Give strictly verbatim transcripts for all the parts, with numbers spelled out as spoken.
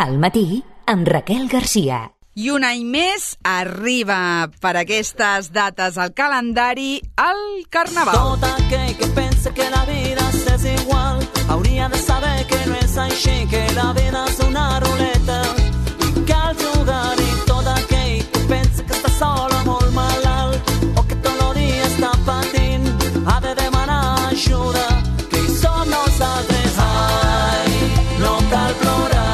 Al matí, amb Raquel Garcia. I un any més arriba per aquestes dates al calendari el Carnaval. Tot aquell que pensa que la vida és igual hauria de saber que no és així, que la vida és una ruleta i cal jugar-hi. Tot aquell que pensa que està sol o molt malalt o que tot el dia està patint ha de demanar ajuda, que hi som nosaltres. Ai, no cal plorar,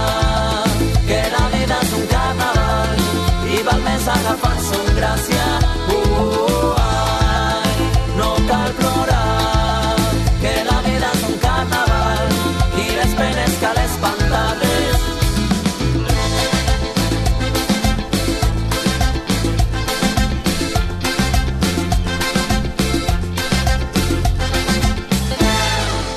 que la vida és un carnaval i val més agafar-se amb gràcia. Uh, ai, no cal plorar, que la vida és un carnaval i les penes cal espantar-les.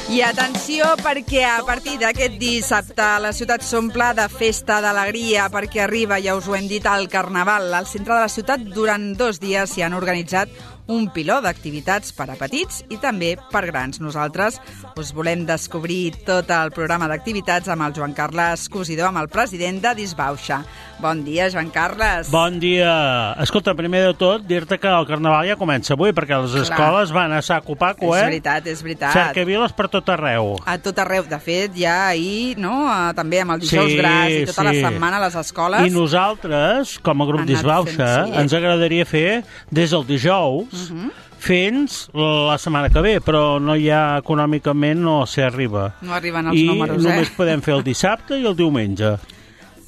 I atenció, perquè a partir d'aquest dissabte la ciutat s'omple de festa, d'alegria, perquè arriba, ja us ho hem dit, al Carnaval. Al centre de la ciutat durant dos dies s'hi han organitzat un piló d'activitats per a petits i també per grans. Nosaltres us volem descobrir tot el programa d'activitats amb el Joan Carles Cosidor, amb el president de Disbauxa. Bon dia, Joan Carles. Bon dia. Escolta, primer de tot, dir-te que el Carnaval ja comença avui, perquè les Clar. escoles van a saco paco, eh? És veritat, és veritat. Cercaviles per tot arreu. A tot arreu. De fet, ja ahir, no?, també amb el dijous sí, gras i tota sí. la setmana a les escoles. I nosaltres, com a grup Disbauxa, sí. ens agradaria fer des del dijous Uh-huh. fins la setmana que ve, però no hi ha econòmicament, no s'hi arriba. No arriben els I números, eh? I només podem fer el dissabte i el diumenge.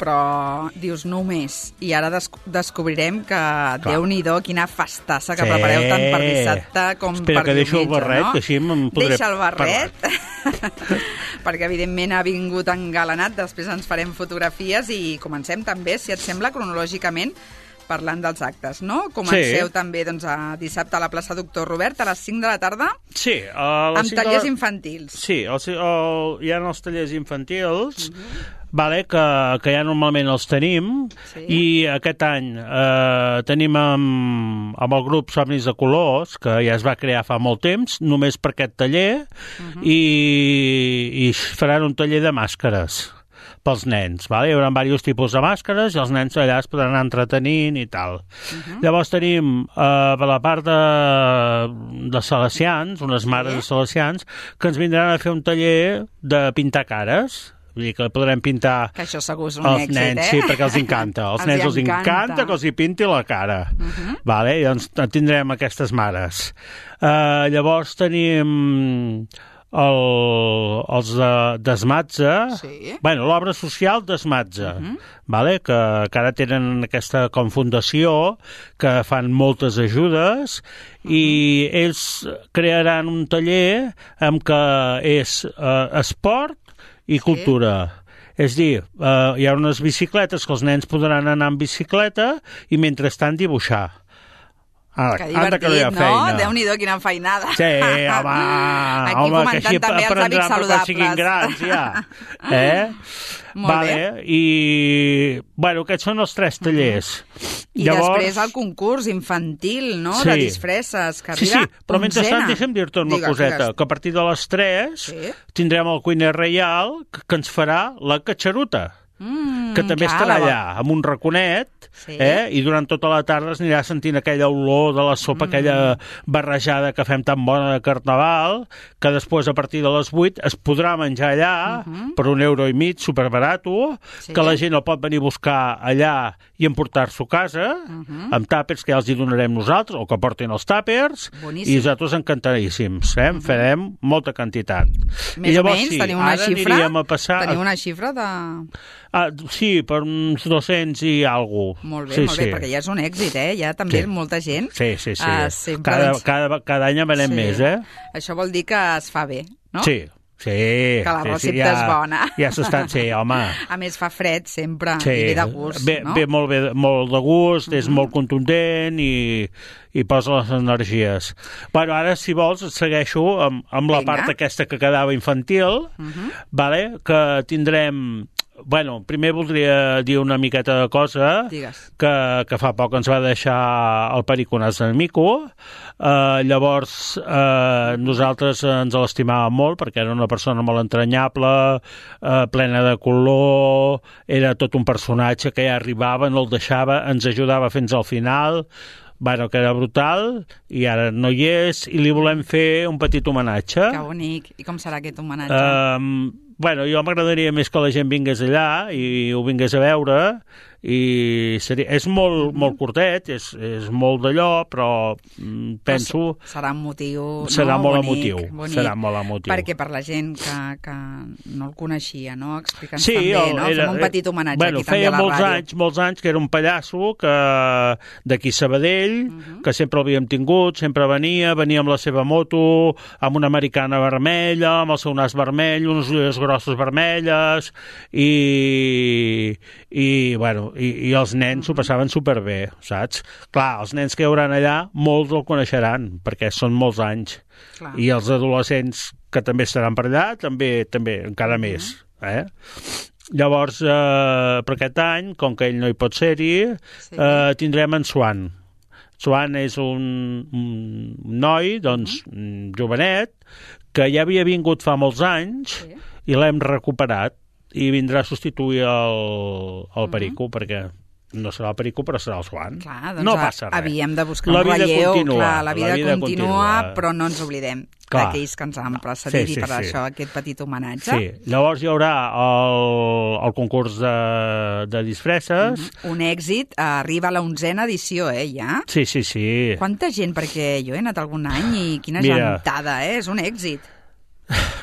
Però dius només, i ara des descobrirem que Déu-n'hi-do quina festassa que sí. prepareu tant per dissabte com Espera per que deixo diumenge, el barret, no? que així em podré Deixa el barret, perquè evidentment ha vingut engalanat, després ens farem fotografies i comencem també, si et sembla, cronològicament, parlant dels actes, no? Comenceu sí. també doncs, a dissabte a la plaça Doctor Robert a les cinc de la tarda sí, a les amb tallers de... infantils. Sí, el, el, hi ha els tallers infantils, uh-huh. vale, que, que ja normalment els tenim, sí. i aquest any eh, tenim amb, amb el grup Somnis de Colors, que ja es va crear fa molt temps, només per aquest taller, uh-huh. i, i faran un taller de màscares pels nens, vale? Hi haurà diversos tipus de màscares i els nens allà es podran anar entretenint i tal. Uh-huh. Llavors tenim eh, per la part de, de salesians, unes mares sí. de salesians, que ens vindran a fer un taller de pintar cares. Vull dir que podrem pintar que això segur és un els èxit, nens, eh? sí, perquè els encanta. Els, els nens els encanta. encanta que els hi pinti la cara. Uh-huh. Vale? I doncs tindrem aquestes mares. Uh, llavors tenim el, els de Desmatze, sí. bueno, l'obra social Desmatze, uh-huh. vale? que, que ara tenen aquesta com fundació que fan moltes ajudes uh-huh. i ells crearan un taller amb que és uh, esport i cultura. Sí. És dir, uh, hi ha unes bicicletes que els nens podran anar amb bicicleta i mentrestant dibuixar. Ah, que divertit, no? Feina. Déu-n'hi-do, quina feinada. Sí, home, aquí home, que així també els hàbits saludables. Siguin grans, ja. Eh? Molt vale. bé. I, bueno, aquests són els tres tallers. I Llavors... després el concurs infantil, no?, sí. de disfresses, que sí, arriba sí, però mentrestant deixa'm dir-te una Digues, coseta, digues. que a partir de les tres sí. tindrem el cuiner reial que, que ens farà la catxaruta. Mm, que també estarà allà, amb un raconet, sí. eh? i durant tota la tarda es anirà sentint aquella olor de la sopa, mm. aquella barrejada que fem tan bona de Carnaval, que després, a partir de les vuit, es podrà menjar allà, mm-hmm. per un euro i mig, superbarato, sí. que la gent el pot venir a buscar allà i emportar-s'ho a casa, mm-hmm. amb tàpers que ja els hi donarem nosaltres, o que portin els tàpers, Boníssim. i nosaltres encantaríssims, eh? Mm-hmm. farem molta quantitat. Més I llavors, o menys, sí, teniu una xifra? A passar... Teniu una xifra de... Ah, sí, per uns dos-cents i alguna cosa. Molt bé, sí, molt bé, sí. perquè ja és un èxit, eh? Ja també sí. molta gent. Sí, sí, sí. Uh, sempre, cada, doncs... cada, cada any en venem sí. més, eh? Això vol dir que es fa bé, no? Sí, sí. Que la recepta sí, sí, ja, és bona. Ja s'està, sí, home. A més, fa fred sempre, sí. i ve de gust, ve, no? Ve molt, bé, molt de gust, mm-hmm. és molt contundent i, i posa les energies. Bueno, ara, si vols, segueixo amb, amb la part aquesta que quedava infantil, uh-huh. vale? Que tindrem... Bueno, primer voldria dir una miqueta de cosa que, que fa poc ens va deixar el Periconàs de Mico. Uh, llavors, uh, nosaltres ens l'estimàvem molt perquè era una persona molt entranyable, uh, plena de color, era tot un personatge que ja arribava, no el deixava, ens ajudava fins al final, bueno, que era brutal, i ara no hi és, i li volem fer un petit homenatge. Que bonic. I com serà aquest homenatge? Uh, bueno, jo m'agradaria més que la gent vingués allà i ho vingués a veure, i seria, és molt, mm-hmm. molt curtet, és, és molt d'allò, però mm, penso... Però serà un motiu, serà no? molt Bonic, emotiu, bonic, serà molt emotiu. Perquè per la gent que, que no el coneixia, no? Explica'ns sí, també, no? Era, Fem un petit homenatge bueno, aquí també a la molts ràdio. Anys, molts anys que era un pallasso que d'aquí Sabadell, mm-hmm. que sempre l'havíem tingut, sempre venia, venia amb la seva moto, amb una americana vermella, amb el seu nas vermell, unes ulleres grosses vermelles, i, i bueno, i, i els nens s'ho passaven superbé, saps? Clar, els nens que hi hauran allà, molts el coneixeran, perquè són molts anys. Clar. I els adolescents que també estaran per allà, també, també encara mm-hmm. més. Eh? Llavors, eh, per aquest any, com que ell no hi pot ser-hi, sí. eh, tindrem en Swan. Swan és un, un noi, doncs, mm-hmm. jovenet, que ja havia vingut fa molts anys sí. i l'hem recuperat i vindrà a substituir el, el Perico, uh-huh. perquè no serà el Perico, però serà el Swan. Clar, doncs no passa res. Havíem de buscar la un relleu. Continua, clar, la vida, la vida continua, continua, però no ens oblidem clar. D'aquells que ens han precedit sí, sí, i per sí. això aquest petit homenatge. Sí, llavors hi haurà el, el concurs de, de disfresses. Mm-hmm. Un èxit, arriba a la onzena edició, eh, ja? Sí, sí, sí. Quanta gent, perquè jo he anat algun any i quina Mira, gentada, eh? És un èxit.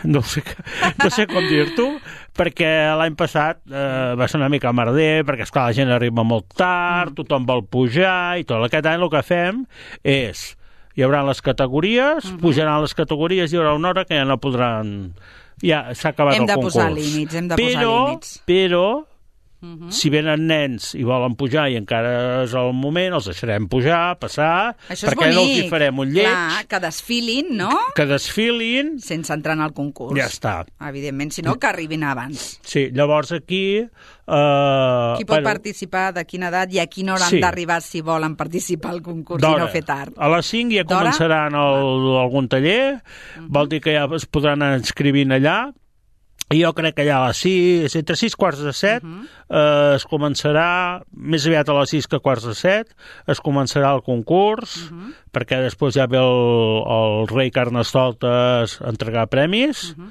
No sé, no sé com dir-t'ho, perquè l'any passat eh, va ser una mica merder, perquè esclar, la gent arriba molt tard, mm. tothom vol pujar i tot. Aquest any el que fem és, hi haurà les categories, mm-hmm. pujaran les categories, hi haurà una hora que ja no podran... Ja s'ha acabat hem el concurs. Hem de posar límits, hem de però, posar límits. Però, Uh-huh. si venen nens i volen pujar i encara és el moment, els deixarem pujar, passar, això perquè no els hi farem un lleig. Clar, que desfilin, no? Que desfilin. Sense entrar en el concurs. Ja està. Evidentment, si no, que arribin abans. Sí, llavors aquí... Uh, Qui pot bueno, participar, de quina edat i a quina hora sí. han d'arribar si volen participar al concurs i no fer tard? A les cinc ja començaran el, algun taller, uh-huh. vol dir que ja es podran inscrivint allà. I jo crec que allà a les sis, entre sis quarts de set, uh-huh. eh, es començarà, més aviat a les sis que quarts de set, es començarà el concurs, uh-huh. perquè després ja ve el, el rei Carnestoltes a entregar premis, uh-huh.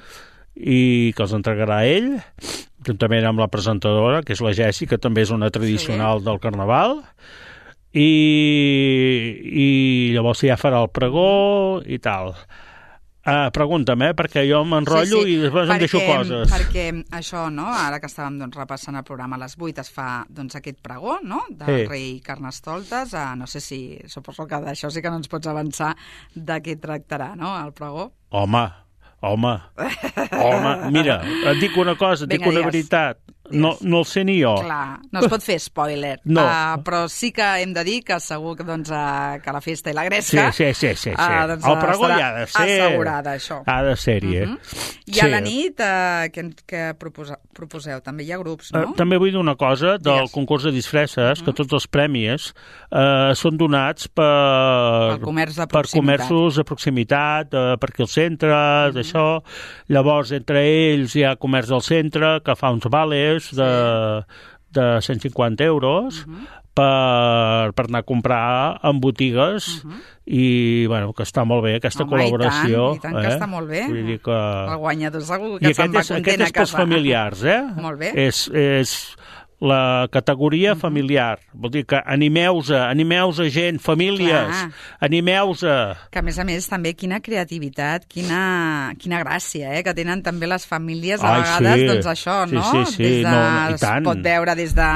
i que els entregarà ell, juntament amb la presentadora, que és la Jessi, que també és una tradicional sí. del Carnaval, i, i llavors ja farà el pregó i tal. Uh, pregunta'm, eh? Perquè jo m'enrotllo sí, sí. i després perquè, em deixo coses. Perquè això, no? Ara que estàvem doncs, repassant el programa a les vuit, es fa doncs, aquest pregó, no?, del sí. rei Carnestoltes. Uh, no sé si, suposo que d'això sí que no ens pots avançar de què tractarà, no?, el pregó. Home, home, home, mira, et dic una cosa, et dic una digues. veritat. No, no el sé ni jo. Clar, no es pot fer spoiler. No. Uh, però sí que hem de dir que segur que, doncs, uh, que la festa i la gresca... Sí, sí, sí. sí, sí. Uh, doncs, el pregó ja ha de ser... assegurada, això. Ha de ser-hi, eh? Uh-huh. I sí. a la nit, uh, què, què proposa, proposeu? També hi ha grups, no? Uh, també vull dir una cosa del yes. concurs de disfresses, uh-huh. que tots els premis uh, són donats per, comerç de per comerços de proximitat, uh, per aquí al centre, uh-huh. d'això. Llavors, entre ells hi ha comerç del centre, que fa uns vales de, de cent cinquanta euros uh-huh. per, per anar a comprar en botigues uh-huh. i, bueno, que està molt bé aquesta Home, col·laboració. I tant, i tant eh? que està molt bé. Vull dir que... El guanyador segur que se'n va és, content aquest a és pels casa. familiars, eh? Molt bé. És... és la categoria uh-huh. familiar. Vol dir que animeu-se, animeu-se gent, famílies, Clar. animeu-se. Que a més a més també quina creativitat, quina, quina gràcia, eh? Que tenen també les famílies a Ai, vegades, sí. doncs això, sí, no? Sí, sí, des de, no, no, i tant. Es pot veure des de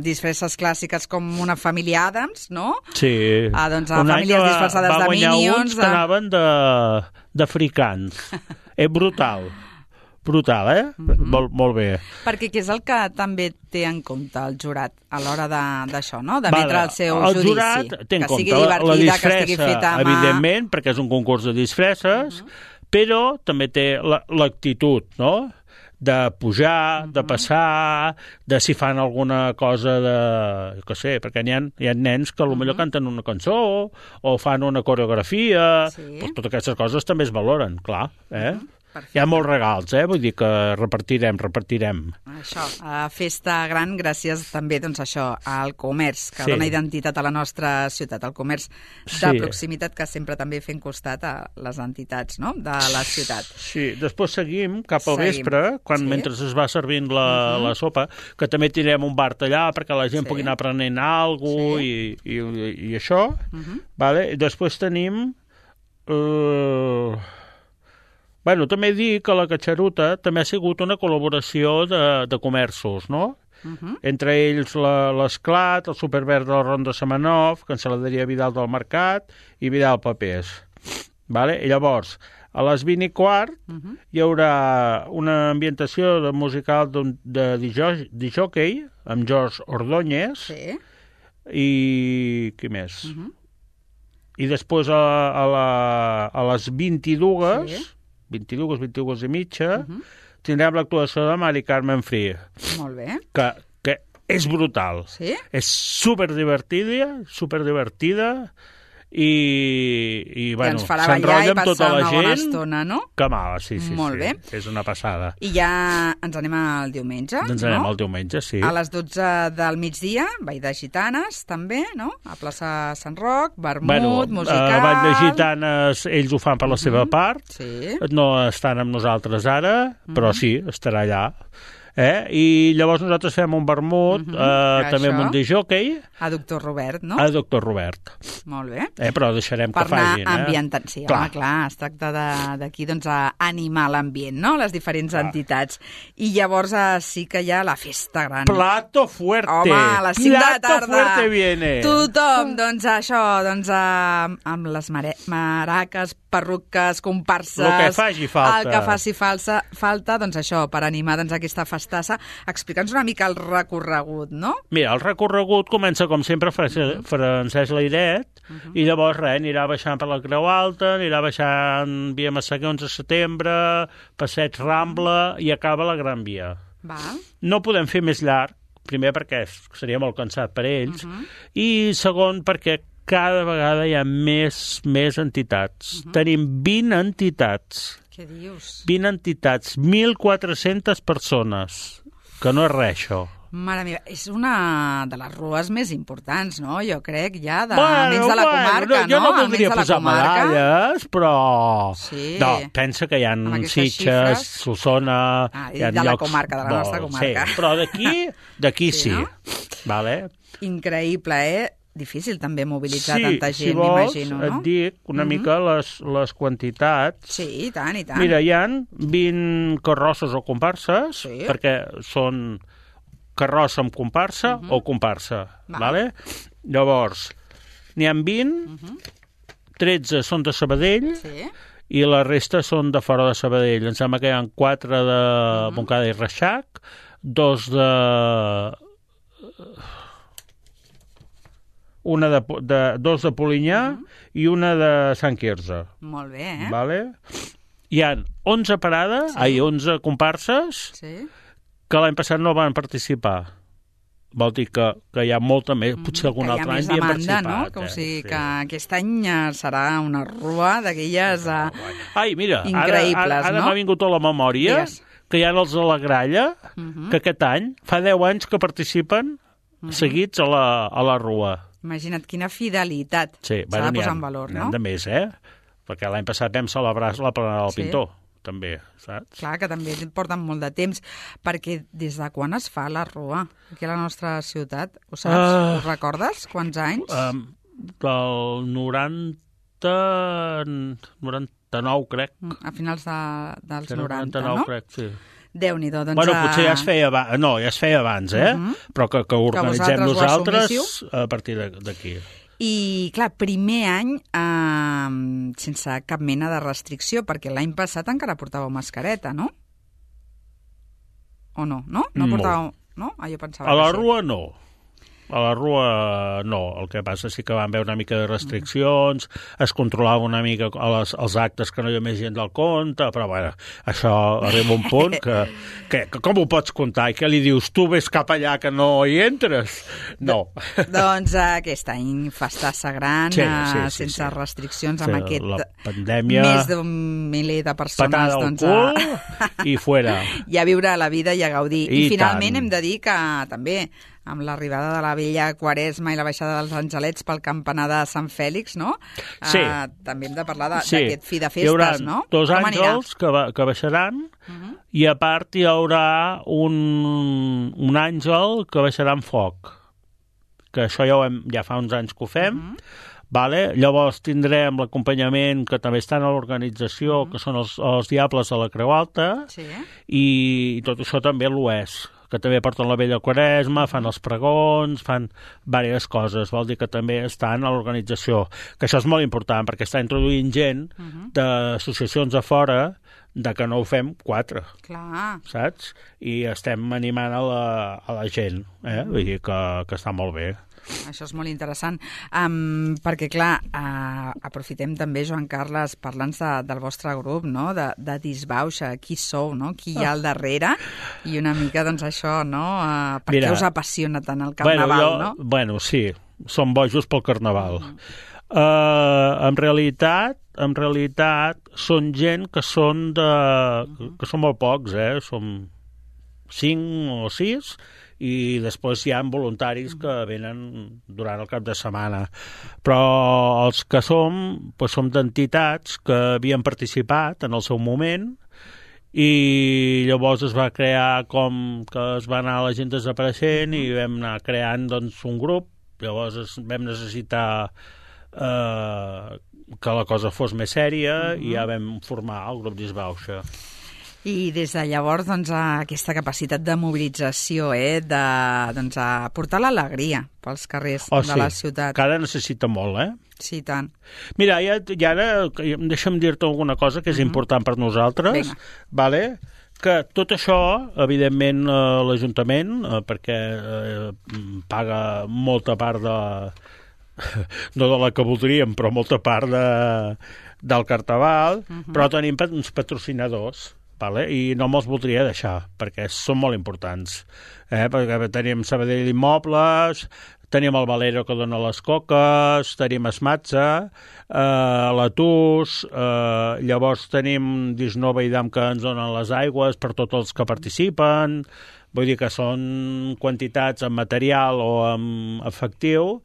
disfresses clàssiques com una família Adams, no? Sí. Ah, doncs a un famílies disfressades de Minions. Va guanyar uns que anaven d'africans. És brutal. brutal, eh? Mm-hmm. Molt, molt bé. Perquè què és el que també té en compte el jurat a l'hora d'això, no? D'emetre vale. el seu el judici. El jurat té en que compte sigui divertida, la disfressa, que estigui feta a mà... evidentment, perquè és un concurs de disfresses, uh-huh. però també té l'actitud, no?, de pujar, uh-huh. de passar, de si fan alguna cosa de... que sé, perquè hi ha, hi ha nens que potser uh-huh. canten una cançó o fan una coreografia, sí. doncs totes aquestes coses també es valoren, clar, eh? Uh-huh. Perfecte. Hi ha molts regals, eh? Vull dir que repartirem, repartirem. Això, a festa gran, gràcies també, doncs això, al comerç, que sí. dona identitat a la nostra ciutat, al comerç de sí. proximitat, que sempre també fem costat a les entitats, no?, de la ciutat. Sí, després seguim cap al seguim. vespre, quan sí. mentre es va servint la, uh-huh. la sopa, que també tindrem un bar allà perquè la gent sí. pugui anar aprenent alguna cosa sí. i, i, i això, uh-huh. vale? I després tenim... Uh... Bueno, també dic que la Catxaruta també ha sigut una col·laboració de, de comerços, no? Uh-huh. Entre ells l'Esclat, el Superverd de la Ronda Semenov, Cancel·laderia Vidal del Mercat i Vidal Papers. Vale? I llavors, a les vint i quart uh-huh. hi haurà una ambientació de musical de, de disjockey amb George Ordóñez sí. i... qui més? Uh-huh. I després a, a, la, a les vint-i-dues... Sí. vint-i-dues, vint-i-dues i mitja, uh-huh. tindrem l'actuació de Mari Carmen Free. Molt bé. Que, que és brutal. Sí? És superdivertida, superdivertida, i, i bueno, s'enrotlla amb tota la gent. Una bona estona, no? Que mala, sí, sí. Molt sí. bé. És una passada. I ja ens anem al diumenge, Ens anem no? al diumenge, sí. A les dotze del migdia, Ball de Gitanes, també, no? A plaça Sant Roc, vermut, bueno, musical... Uh, Ball de Gitanes, ells ho fan per la uh-huh. seva part. Sí. No estan amb nosaltres ara, uh-huh. però sí, estarà allà. Eh? I llavors nosaltres fem un vermut, uh-huh. eh, també amb un disjockey. A Doctor Robert, no? A Doctor Robert. Molt bé. Eh, però deixarem per que facin. Per anar ambientant, sí, clar. Home, clar, es tracta d'aquí doncs, a animar l'ambient, no?, les diferents clar. entitats. I llavors eh, sí que hi ha la festa gran. Plato fuerte! Home, a les cinc Plato de la tarda. fuerte viene! Tothom, doncs això, doncs eh, amb les mare maraques, perruques, comparses... El que faci falta. El que faci falsa, falta, doncs això, per animar doncs, aquesta festassa. Explica'ns una mica el recorregut, no? Mira, el recorregut comença, com sempre, uh-huh. Francesc Layret, uh-huh. i llavors, res, anirà baixant per la Creu Alta, anirà baixant via Massaguer onze de setembre, Passeig Rambla, i acaba la Gran Via. Va. No podem fer més llarg, primer perquè seria molt cansat per ells, uh-huh. i segon perquè cada vegada hi ha més, més entitats. Uh-huh. Tenim vint entitats. Què dius? vint entitats, mil quatre-centes persones, que no és res, això. Mare meva, és una de les rues més importants, no? Jo crec, ja, de, bueno, almenys de la bueno, comarca, no? Jo no voldria posar comarca. medalles, però... Sí. No, pensa que hi ha Sitges, Solsona... Ah, hi ha de la llocs... comarca, de la nostra comarca. Sí, però d'aquí, d'aquí sí. sí. No? Vale? Increïble, eh? Difícil també mobilitzar sí, tanta gent, si vols, m'imagino, no? et dic una mm-hmm. mica les, les quantitats. Sí, i tant, i tant. Mira, hi ha vint carrosses o comparses, sí. perquè són carrossa amb comparsa mm-hmm. o comparsa, Va. vale? Llavors, n'hi ha vint, mm-hmm. tretze són de Sabadell, sí. i la resta són de fora de Sabadell. Em sembla que hi ha quatre de mm-hmm. Montcada i Reixac, dos de... una de, de, dos de Polinyà uh-huh. i una de Sant Quirze. Molt bé, eh? Vale? Hi ha onze parades, sí. ai, onze comparses, sí. que l'any passat no van participar. Vol dir que, que hi ha molta més, potser algun altre any havien participat. No? Que, o sigui, eh? que aquest any serà una rua d'aquelles uh, ai, mira, increïbles, ara, ara, ara no? m'ha vingut a la memòria yes. que hi ha els de la Gralla, uh-huh. que aquest any fa deu anys que participen uh-huh. seguits a la, a la rua. Imagina't quina fidelitat sí, s'ha bueno, de posar en valor, no? N'hi ha de més, eh? Perquè l'any passat vam celebrar la Planada del sí. Pintor, també, saps? Clar, que també porten molt de temps, perquè des de quan es fa la rua aquí a la nostra ciutat? Ho saps? Uh, Ho recordes? Quants anys? Um, del noranta... noranta-nou, crec. A finals de, dels noranta, noranta-nou, no? crec, sí. Déu-n'hi-do, doncs... Bueno, potser ja es feia abans, no, ja es feia abans, eh? Uh-huh. Però que, que organitzem que nosaltres a partir d'aquí. I, clar, primer any eh, sense cap mena de restricció, perquè l'any passat encara portàveu mascareta, no? o no? No? No portàveu... No? Ah, jo pensava a la que sí. Rua no. A la Rua no, el que passa sí que van haver una mica de restriccions, es controlava una mica els, els actes que no hi ha més gent del compte, però bueno, això arriba un punt que, que, que com ho pots comptar? I què li dius? Tu ves cap allà que no hi entres? No. Doncs aquest any festassa gran, sí, sí, sí, sense sí. restriccions, sí, amb aquest la pandèmia, més d'un miler de persones. Patada al doncs, cul a... i fuera. I a viure la vida i a gaudir. I, I finalment tant. hem de dir que també amb l'arribada de la vella Quaresma i la baixada dels Angelets pel campanar de Sant Fèlix, no? Sí. Uh, també hem de parlar d'aquest sí. fi de festes, hi haurà no? dos Com àngels que, ba que baixaran uh-huh. i a part hi haurà un, un àngel que baixarà amb foc, que això ja, ho hem, ja fa uns anys que ho fem, uh-huh. Vale? Llavors tindrem l'acompanyament que també estan a l'organització, uh-huh. que són els, els Diables de la Creu Alta, sí. i, i tot això també l'ho és, que també porten la vella Quaresma, fan els pregons, fan diverses coses, vol dir que també estan a l'organització, que això és molt important, perquè està introduint gent uh-huh. d'associacions a fora de que no ho fem quatre, clar. Saps? I estem animant a la, a la gent, eh? Uh-huh. Vull dir que, que està molt bé. Això és molt interessant, um, perquè clar, uh, aprofitem també, Joan Carles, parlant de, del vostre grup, no? de, de Disbauxa, qui sou, no? Qui hi ha al darrere, i una mica doncs això, no? Uh, per què us apassiona tant el carnaval, bueno, jo, no? Bueno, sí, som bojos pel carnaval. Mm. Uh, en realitat, en realitat, són gent que són de... que són molt pocs, eh? Som cinc o sis, i després hi ha voluntaris que venen durant el cap de setmana. Però els que som, doncs som d'entitats que havien participat en el seu moment i llavors es va crear com que es va anar la gent desapareixent i vam anar creant doncs, un grup. Llavors es, vam necessitar eh, que la cosa fos més sèria uh-huh. i ja vam formar el grup Disbauxa. I des de llavors, doncs, aquesta capacitat de mobilització, eh, de doncs, a portar l'alegria pels carrers oh, de sí. la ciutat. Que ara necessita molt, eh? Sí, tant. Mira, ja, ja ara, deixa'm dir-te alguna cosa que és uh-huh. important per nosaltres, Vinga. Vale? Que tot això, evidentment, eh, l'Ajuntament, eh, perquè eh, paga molta part de... no de la que voldríem, però molta part de, del carnaval, uh-huh. però tenim uns patrocinadors, vale? I no me'ls voldria deixar, perquè són molt importants. Eh? Perquè tenim Sabadell Immobles, tenim el Valero que dona les coques, tenim Esmatza, eh, la Tus, eh, llavors tenim Disnova i Dam que ens donen les aigües per tots els que participen, vull dir que són quantitats en material o en efectiu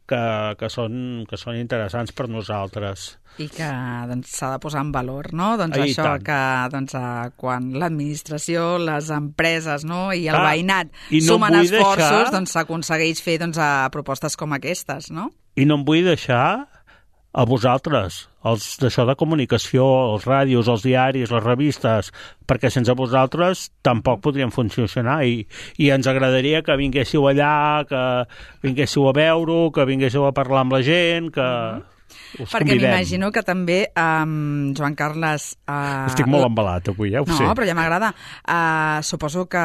que, que, són, que són interessants per nosaltres. I que doncs, s'ha de posar en valor, no? Doncs I això tant. que doncs, quan l'administració, les empreses, no? i el ah, veïnat i no sumen esforços, deixar... doncs s'aconsegueix fer doncs, a propostes com aquestes, no? I no em vull deixar a vosaltres, els d'això de comunicació, els ràdios, els diaris, les revistes, perquè sense vosaltres tampoc podríem funcionar i, i ens agradaria que vinguéssiu allà, que vinguéssiu a veure-ho, que vinguéssiu a parlar amb la gent, que... Mm-hmm. Us perquè convidem. m'imagino que també, um, Joan Carles... Uh, Estic molt embalat avui, ja ho no, sé. No, però ja m'agrada. Uh, suposo que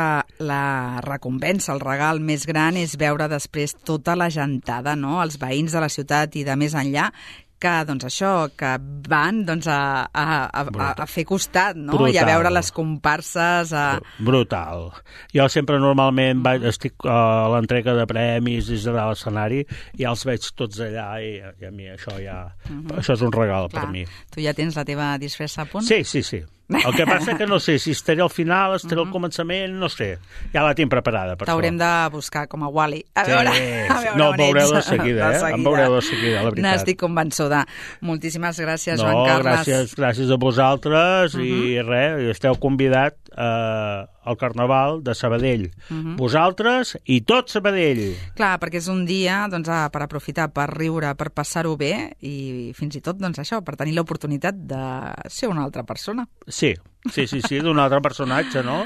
la recompensa, el regal més gran és veure després tota la gentada, no? Els veïns de la ciutat i de més enllà, que, doncs això, que van doncs, a, a, a, a fer costat, no? Brutal. I a veure les comparses... A... Brutal. Jo sempre normalment vaig, estic a l'entrega de premis des de l'escenari i ja els veig tots allà i, i a mi això ja... Uh-huh. Això és un regal. Clar, per mi. Tu ja tens la teva disfressa a punt? Sí, sí, sí. El que passa que no sé si estaré al final, estaré uh-huh. al començament, no sé. Ja la tinc preparada. T'haurem de buscar com a Wall-E. A sí, veure, sí. a veure no, on veureu ets. de seguida, eh? Em veureu de seguida, la veritat. N'estic convençuda. Moltíssimes gràcies, no, Joan Carles. Gràcies, gràcies a vosaltres uh-huh. i res, esteu convidat eh, al Carnaval de Sabadell. Uh-huh. Vosaltres i tot Sabadell. Clar, perquè és un dia doncs, per aprofitar, per riure, per passar-ho bé i fins i tot doncs, això, per tenir l'oportunitat de ser una altra persona. Sí, sí, sí, sí, d'un altre personatge, no?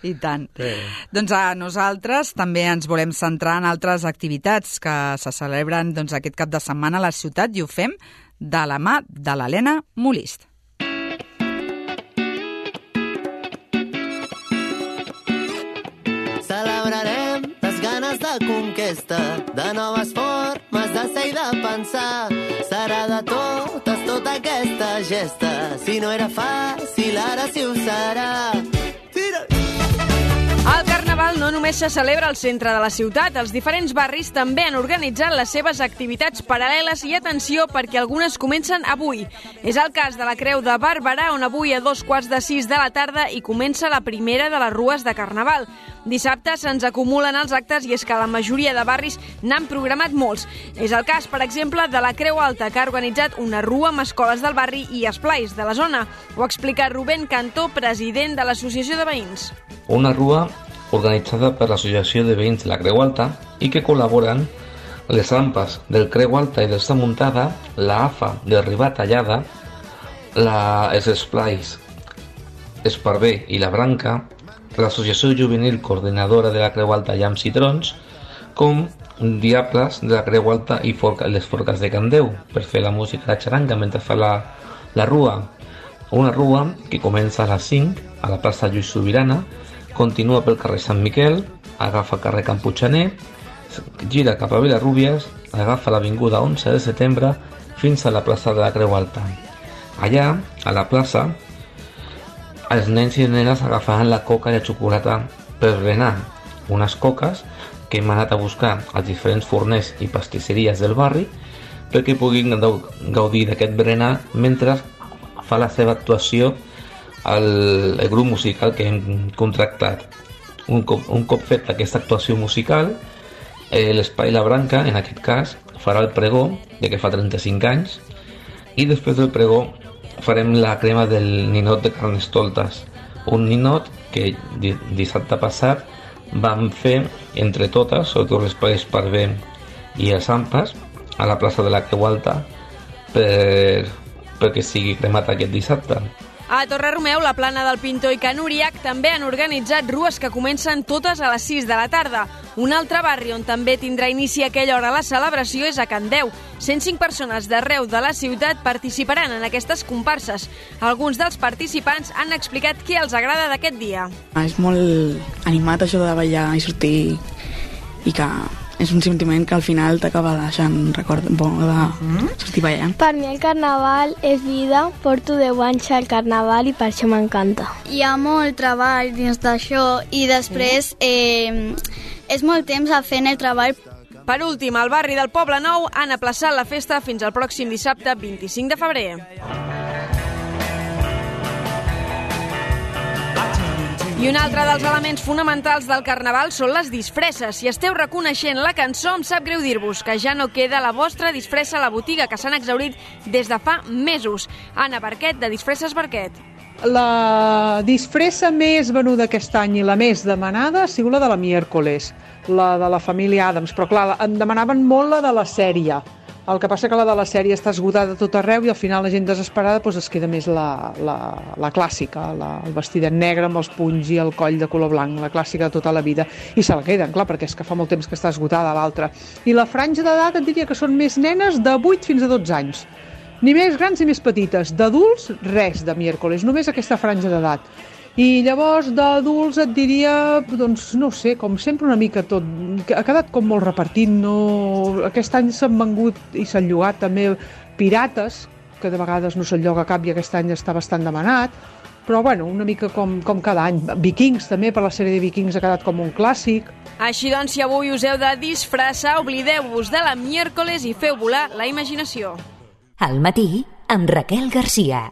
I tant. Sí. Doncs a nosaltres també ens volem centrar en altres activitats que se celebren doncs, aquest cap de setmana a la ciutat i ho fem de la mà de l'Helena Molist. de conquesta, de noves formes de ser i de pensar. Serà de totes, tota aquesta gesta. Si no era fàcil, ara sí ho serà. Tira! El Carnaval no només se celebra al centre de la ciutat, els diferents barris també han organitzat les seves activitats paral·leles i atenció perquè algunes comencen avui. És el cas de la Creu de Barberà, on avui a dos quarts de sis de la tarda hi comença la primera de les rues de Carnaval. Dissabte se'ns acumulen els actes i és que la majoria de barris n'han programat molts. És el cas, per exemple, de la Creu Alta, que ha organitzat una rua amb escoles del barri i esplais de la zona. Ho explica Rubén Cantó, president de l'Associació de Veïns. Una rua organitzada per l'Associació de Veïns de la Creu Alta i que col·laboren les rampes del Creu Alta i d'Esta Muntada, la A F A de Ribà Tallada, la, els esplais Esparver i la Branca, l'Associació Juvenil Coordinadora de la Creu Alta Llams i Trons, com Diables de la Creu Alta i Forca, les Forques de Candeu, per fer la música de xaranga mentre fa la, la rua. Una rua que comença a les cinc a la plaça Lluís Sobirana, continua pel carrer Sant Miquel, agafa carrer Camputxaner, gira cap a Vilarrúbies, agafa l'avinguda onze de setembre fins a la plaça de la Creu Alta. Allà, a la plaça, els nens i nenes agafaran la coca i la xocolata per berenar, unes coques que hem anat a buscar als diferents forners i pastisseries del barri perquè puguin gaudir d'aquest berenar mentre fa la seva actuació el, el grup musical que hem contractat. Un cop, un cop fet aquesta actuació musical, eh, l'Espai La Branca, en aquest cas, farà el pregó, ja que fa trenta-cinc anys, i després del pregó farem la crema del ninot de Carnestoltes, un ninot que dissabte passat vam fer entre totes, sobretot l'Espai Esparver i els Ampas, a la plaça de la Creu Alta, per, perquè sigui cremat aquest dissabte. A Torre-Romeu, la Plana del Pintor i Can Uriac també han organitzat rues que comencen totes a les sis de la tarda. Un altre barri on també tindrà inici a aquella hora la celebració és a Candeu. cent cinc persones d'arreu de la ciutat participaran en aquestes comparses. Alguns dels participants han explicat què els agrada d'aquest dia. És molt animat això de ballar i sortir i que és un sentiment que al final t'acaba deixant record bo de sortir ballant. Per mi el carnaval és vida, porto deu anys al carnaval i per això m'encanta. Hi ha molt treball dins d'això i després eh, és molt temps a fent el treball. Per últim, al barri del Poble Nou han aplaçat la festa fins al pròxim dissabte vint-i-cinc de febrer. I un altre dels elements fonamentals del Carnaval són les disfresses. Si esteu reconeixent la cançó, em sap greu dir-vos que ja no queda la vostra disfressa a la botiga, que s'han exhaurit des de fa mesos. Anna Barquet, de Disfresses Barquet. La disfressa més venuda aquest any i la més demanada ha sigut la de la miércoles, la de la família Adams, però clar, em demanaven molt la de la sèrie. El que passa que la de la sèrie està esgotada a tot arreu i al final la gent desesperada doncs es queda més la, la, la clàssica, la, el vestidet negre amb els punys i el coll de color blanc, la clàssica de tota la vida, i se la queden, clar, perquè és que fa molt temps que està esgotada l'altra. I la franja d'edat et diria que són més nenes de vuit fins a dotze anys, ni més grans ni més petites. D'adults, res de miércoles, només aquesta franja d'edat. I llavors d'adults et diria, doncs no sé, com sempre una mica tot, ha quedat com molt repartit, no... Aquest any s'han vengut i s'han llogat també pirates, que de vegades no se'n lloga cap i aquest any està bastant demanat, però bueno, una mica com, com cada any. Vikings també, per la sèrie de Vikings ha quedat com un clàssic. Així doncs, si avui us heu de disfressar, oblideu-vos de la miércoles i feu volar la imaginació. Al matí, amb Raquel Garcia.